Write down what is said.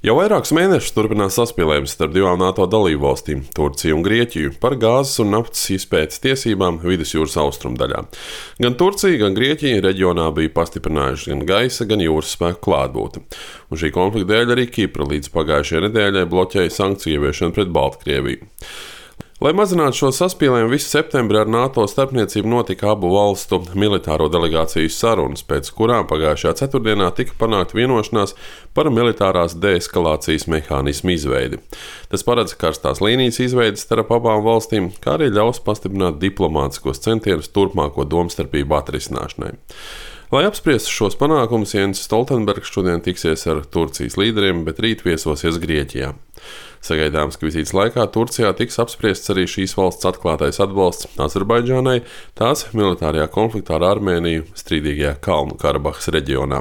Jau vairākus mēnešus turpinās saspīlējums starp divām NATO dalībvalstīm - Turciju un Grieķiju par gāzes un naftas izpētes tiesībām Vidusjūras austrumdaļā. Gan Turcija, gan Grieķija reģionā bija pastiprinājuši gan gaisa, gan jūras spēku klātbūtni. Un šī konflikta dēļ arī Kipra līdz pagājušajai nedēļai bloķēja sankciju ieviešanu pret Baltkrieviju. Lai mazinātu šo saspīlējumu, visu septembrī ar NATO starpniecību notika abu valstu militāro delegāciju sarunas, pēc kurām pagājušajā ceturtdienā tika panākta vienošanās par militārās deeskalācijas mehānismu izveidi. Tas paredz karstās līnijas izveidi starp abām valstīm, kā arī ļaus pastiprināt diplomātiskos centienus turpmāko domstarpību atrisināšanai. Lai apspriestu šos panākumus, Jens Stoltenbergs šodien tiksies ar Turcijas līderiem, bet rīt viesosies Grieķijā. Sagaidāms, ka vizītes laikā Turcijā tiks apspriests arī šīs valsts atklātais atbalsts Azerbaidžānai tās militārajā konfliktā ar Armēniju strīdīgajā Kalnu Karabahas reģionā.